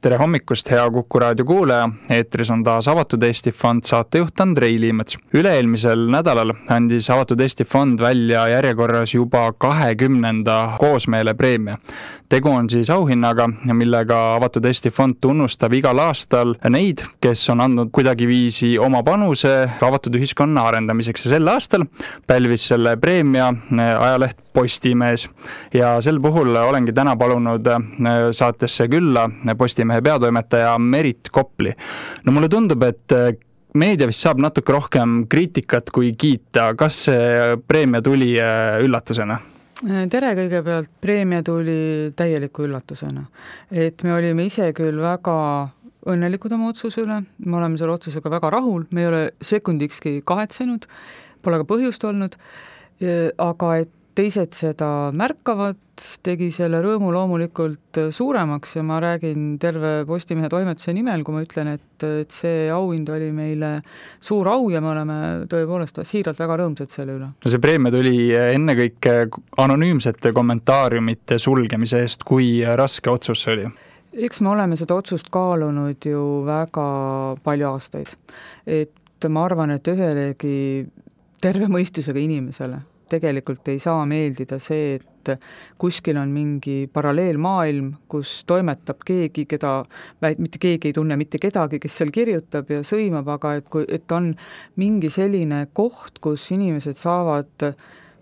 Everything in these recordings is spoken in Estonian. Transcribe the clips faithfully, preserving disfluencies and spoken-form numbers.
Tere hommikust, hea Kuku raadio kuulaja. Eetris on taas Avatud Eesti Fond saatejuht Andrei Liimets. Üle-eelmisel nädalal andis Avatud Eesti Fond välja järjekorras juba kahekümnenda koosmeele preemia. Tegu on siis auhinnaga, millega Avatud Eesti Fond tunnustab igal aastal neid, kes on andnud kuidagiviisi oma panuse avatud ühiskonna arendamiseks. Ja sel aastal pälvis selle preemia ajaleht Postimees. Ja sel puhul olengi täna palunud saatesse külla Postimehe peatoimetaja Merit Kopli. No mulle tundub, et meedia vist saab natuke rohkem kriitikat kui kiita. Kas see preemia tuli üllatusena? Tere kõigepealt, preemia tuli täieliku üllatusena. Et me olime ise küll väga õnnelikud oma otsuse üle, me oleme selle otsusega väga rahul, me ei ole sekundikski kahetsenud, pole ka põhjust olnud, aga et teised seda märkavad, tegi selle rõõmu loomulikult suuremaks ja ma räägin terve Postimehe toimetuse nimel, kui ma ütlen, et, et see auhind oli meile suur au ja me oleme tõepoolest siiralt väga rõõmsad selle üle. No see preemia tuli ennekõike anonüümsete kommentaariumite sulgemise eest, kui raske otsus see oli? Eks me oleme seda otsust kaalunud ju väga palju aastaid. Et ma arvan, et ühelegi terve mõistusega inimesele tegelikult ei saa meeldida see, et kuskil on mingi paralleelmaailm, kus toimetab keegi, keda, mitte keegi ei tunne mitte kedagi, kes seal kirjutab ja sõimab, aga et, kui, et on mingi selline koht, kus inimesed saavad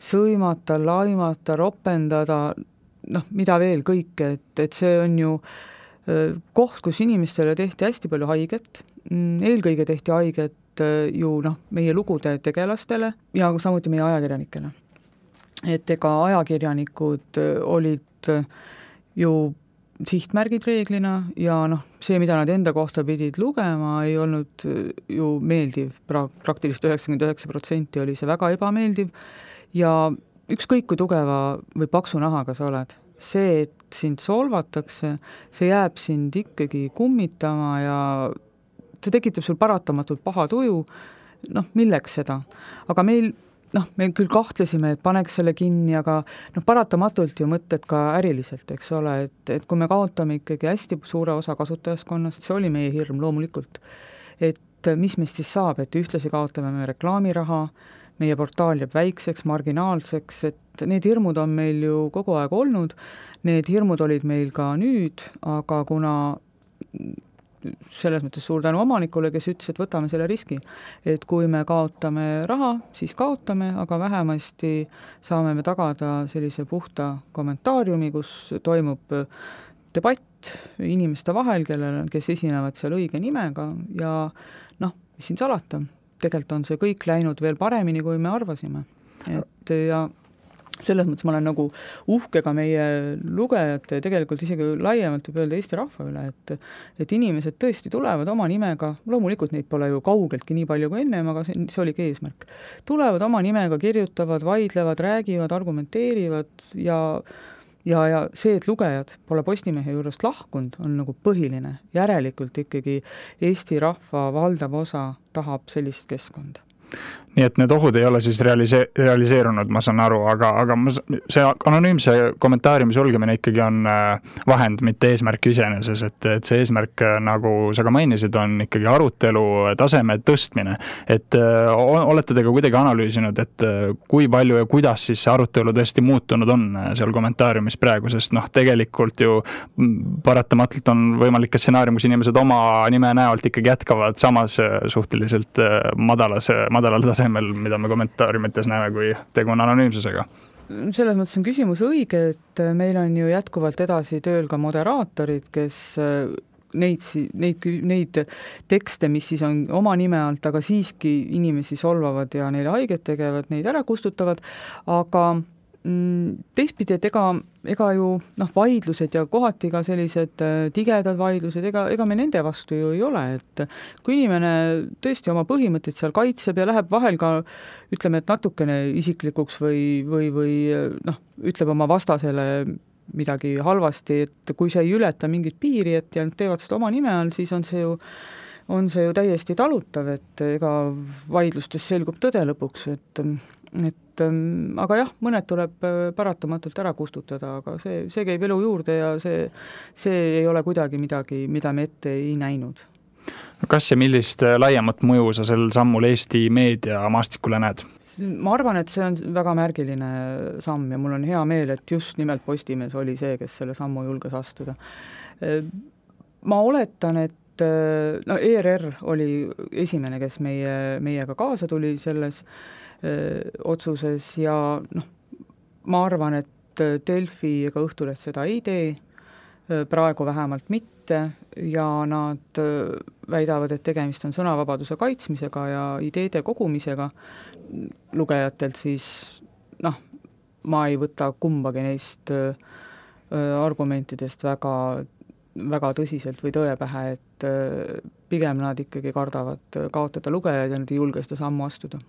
sõimata, laimata, ropendada, noh, mida veel kõike, et, et see on ju koht, kus inimestele tehti hästi palju haiget, eelkõige tehti haiget ju noh, meie lugude tegelastele ja samuti meie ajakirjanikele. Et ega ajakirjanikud olid ju sihtmärgid reeglina ja noh, see, mida nad enda kohta pidid lugema, ei olnud ju meeldiv. Pra- praktiliselt üheksakümmend üheksa protsenti oli see väga ebameeldiv ja ükskõik kui tugeva või paksu nahaga sa oled, see, et sind solvatakse, see jääb sind ikkagi kummitama ja see tekitab sul paratamatult paha tuju, noh, milleks seda. Aga meil, noh, me küll kahtlesime, et paneks selle kinni, aga noh, paratamatult ju mõtted ka äriliselt, eks ole, et, et kui me kaotame ikkagi hästi suure osa kasutajaskonnast, see oli meie hirm loomulikult, et mis meist siis saab, et ühtlasi kaotame me reklaamiraha, meie portaal jääb väikseks, marginaalseks, et need hirmud on meil ju kogu aeg olnud, need hirmud olid meil ka nüüd, aga kuna selles mõttes suur tänu omanikule, kes ütles, et võtame selle riski, et kui me kaotame raha, siis kaotame, aga vähemasti saame me tagada sellise puhta kommentaariumi, kus toimub debatt inimeste vahel, kellel, kes esinevad seal õige nimega ja noh, mis siin salata, tegelikult on see kõik läinud veel paremini, kui me arvasime. Et ja selles mõttes ma olen nagu uhke ka meie lugejate, tegelikult isegi laiemalt võib öelda Eesti rahva üle, et, et inimesed tõesti tulevad oma nimega, loomulikult neid pole ju kaugeltki nii palju kui ennem, aga see, see oligi eesmärk. Tulevad oma nimega, kirjutavad, vaidlevad, räägivad, argumenteerivad ja, ja, ja see, et lugejad pole Postimehe juurest lahkunud, on nagu põhiline. Järelikult ikkagi Eesti rahva valdav osa tahab sellist keskkonda. Nii et need ohud ei ole siis realise- realiseerunud, ma saan aru, aga, aga see anonüümse kommentaariumi sulgemine ikkagi on vahend, mitte eesmärk iseeneses, et, et see eesmärk, nagu sa ka mainisid, on ikkagi arutelu taseme tõstmine. Et olete te ka kuidagi analüüsinud, et kui palju ja kuidas siis see arutelu tõesti muutunud on seal kommentaariumis praegu, sest noh, tegelikult ju paratamatult on võimalik ka stsenaarium, kus inimesed oma nime näolt ikkagi jätkavad samas suhteliselt madalas, madalal tasemel, mida me kommentaariumites näeme, kui tegu on anonüümsusega. Selles mõttes on küsimus õige, et meil on ju jätkuvalt edasi tööl ka moderaatorid, kes neid, neid, neid tekste, mis siis on oma nime alt, aga siiski inimesi solvavad ja neile haiget tegevad, neid ära kustutavad, aga teistpidi, et ega, ega ju noh, vaidlused ja kohati ka sellised tigedad vaidlused, ega, ega me nende vastu ju ei ole, et kui inimene tõesti oma põhimõtteid seal kaitseb ja läheb vahel ka, ütleme, et natukene isiklikuks või, või, või noh, ütleb oma vastasele midagi halvasti, et kui see ei ületa mingit piiri, et ja teevad seda oma nime all, siis on see ju on see ju täiesti talutav, et ega vaidlustes selgub tõde lõpuks, et, et aga jah, mõned tuleb paratamatult ära kustutada, aga see, see käib elu juurde ja see, see ei ole kuidagi midagi, mida me ette ei näinud. Kas ja millist laiemat mõju sa sel sammul Eesti meedia maastikule näed? Ma arvan, et see on väga märgiline samm ja mul on hea meel, et just nimelt Postimees oli see, kes selle sammu julges astuda. Ma oletan, et no E R R oli esimene, kes meie, meiega kaasa tuli selles otsuses ja noh, ma arvan, et Delfi ega Õhtuleht seda ei tee, praegu vähemalt mitte ja nad väidavad, et tegemist on sõnavabaduse kaitsmisega ja ideede kogumisega lugejatelt, siis noh, ma ei võta kumbagi neist argumentidest väga, väga tõsiselt või tõepähe, et pigem nad ikkagi kardavad kaotada lugejaid ja nad ei julge seda sammu astuda.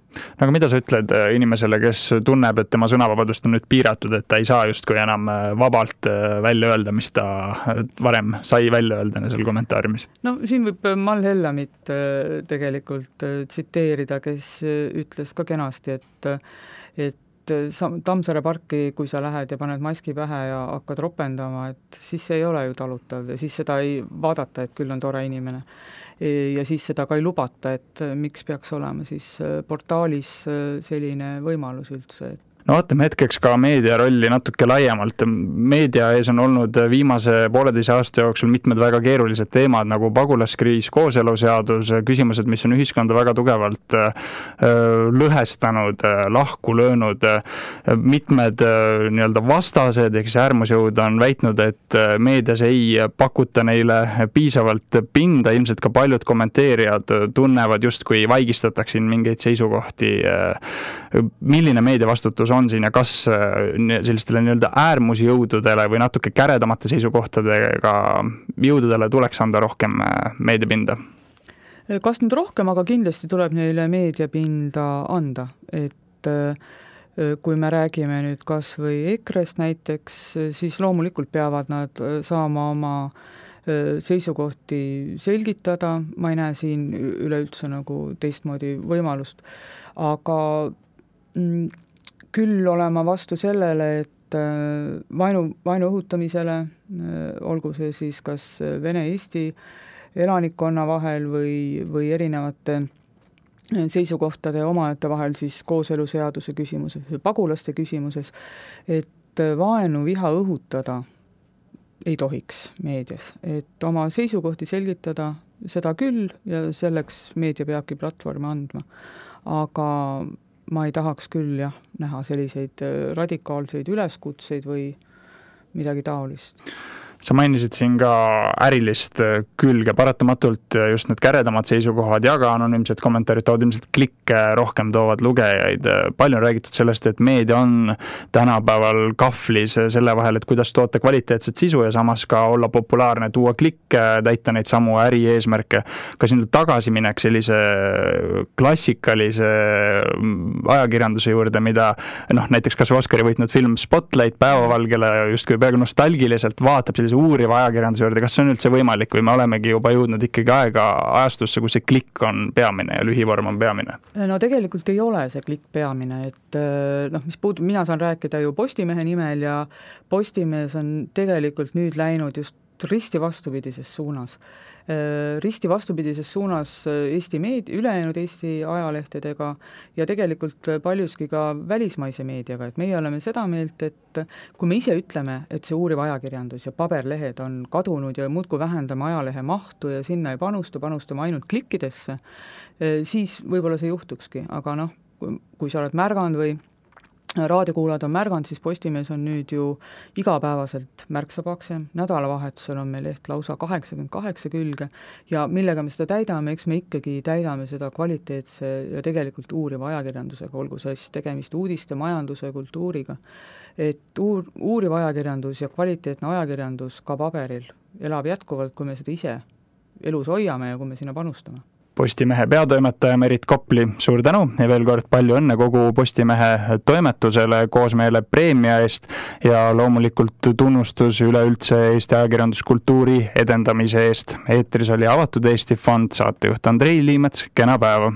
Aga mida sa ütled inimesele, kes tunneb, et tema sõnavabadust on nüüd piiratud, et ta ei saa justkui enam vabalt välja öelda, mis ta varem sai välja öelda seal kommentaariumis? No siin võib Mall Hellamit tegelikult tsiteerida, kes ütles ka kenasti, et, et Tammsaare parki, kui sa lähed ja paned maski pähe ja hakkad ropendama, et siis see ei ole ju talutav ja siis seda ei vaadata, et küll on tore inimene. Ja siis seda ka ei lubata, et miks peaks olema siis portaalis selline võimalus üldse, et no vaatame hetkeks ka meedia rolli natuke laiemalt. Meedia ees on olnud viimase pooleteise aasta jooksul mitmed väga keerulised teemad nagu pagulaskriis, kooseluseadus, küsimused, mis on ühiskonda väga tugevalt lõhestanud, lahku löönud. Mitmed nii-öelda vastased, ehk äärmusjõud on väitnud, et meedias ei pakuta neile piisavalt pinda, ilmselt ka paljud kommenteerijad tunnevad justkui vaigistatakse mingeid seisukohti. Milline meedia vastutus on siin ja kas sellistele nii-öelda äärmusjõududele või natuke käredamate seisukohtadega jõududele tuleks anda rohkem meediapinda? Kas nüüd rohkem, aga kindlasti tuleb neile meediapinda anda, et kui me räägime nüüd kas või E K R-st näiteks, siis loomulikult peavad nad saama oma seisukohti selgitada, ma ei näe siin üleüldse nagu teistmoodi võimalust, aga küll olema vastu sellele, et vainu, vainu õhutamisele, olgu see siis kas Vene-Eesti elanikkonna vahel või, või erinevate seisukohtade omajate vahel siis kooseluseaduse küsimuses või pagulaste küsimuses, et vaenu viha õhutada ei tohiks meedias, et oma seisukohti selgitada seda küll ja selleks meedia peabki platvormi andma, aga ma ei tahaks küll jah, näha selliseid radikaalseid üleskutseid või midagi taolist. Sa mainisid siin ka ärilist külge, paratamatult just need käredamad seisukohad ja ka anonüümsed kommentaarid toovad ilmselt klikke rohkem toovad lugejaid. Palju on räägitud sellest, et meedia on tänapäeval kahvlis selle vahel, et kuidas toota kvaliteetset sisu ja samas ka olla populaarne, tuua klikke, täita neid samu äri eesmärke. Kas nüüd tagasi minek sellise klassikalise ajakirjanduse juurde, mida noh, näiteks kas Oscari võitnud film Spotlight päevavalgele justkui peaaegu nostalgiliselt vaatab sellise uuriva ajakirjanduse juurde, kas see on üldse võimalik või me olemegi juba jõudnud ikkagi aega ajastusse, kus see klikk on peamine ja lühivorm on peamine? No tegelikult ei ole see klikk peamine, et noh, mis puudub, mina saan rääkida ju Postimehe nimel ja Postimees on tegelikult nüüd läinud just risti vastupidises suunas. Risti vastupidises suunas Eesti meedia, ülejäänud Eesti ajalehtedega ja tegelikult paljuski ka välismaise meediaga, et meie oleme seda meelt, et kui me ise ütleme, et see uuriv ajakirjandus ja paberlehed on kadunud ja muudkui vähendame ajalehe mahtu ja sinna ei panusta, panustame ainult klikkidesse, siis võib-olla see juhtukski, aga noh, kui, kui sa oled märganud või raadiokuulajad on märganud, siis Postimees on nüüd ju igapäevaselt märksa paksem, nädalavahetusel on meil leht lausa kaheksakümmend kaheksa külge ja millega me seda täidame, eks me ikkagi täidame seda kvaliteetse ja tegelikult uuriva ajakirjandusega, olgu siis tegemist uudiste, majanduse, kultuuriga, et uur, uuriv ajakirjandus ja kvaliteetne ajakirjandus ka paberil elab jätkuvalt, kui me seda ise elus hoiame ja kui me sinna panustame. Postimehe peatoimetaja Merit Kopli, suur tänu ja veel kord palju õnne kogu Postimehe toimetusele koosmeele preemia eest ja loomulikult tunnustus üleüldse Eesti ajakirjanduskultuuri edendamise eest. Eetris oli Avatud Eesti Fond, saatejuht Andrei Liimets, kena päeva!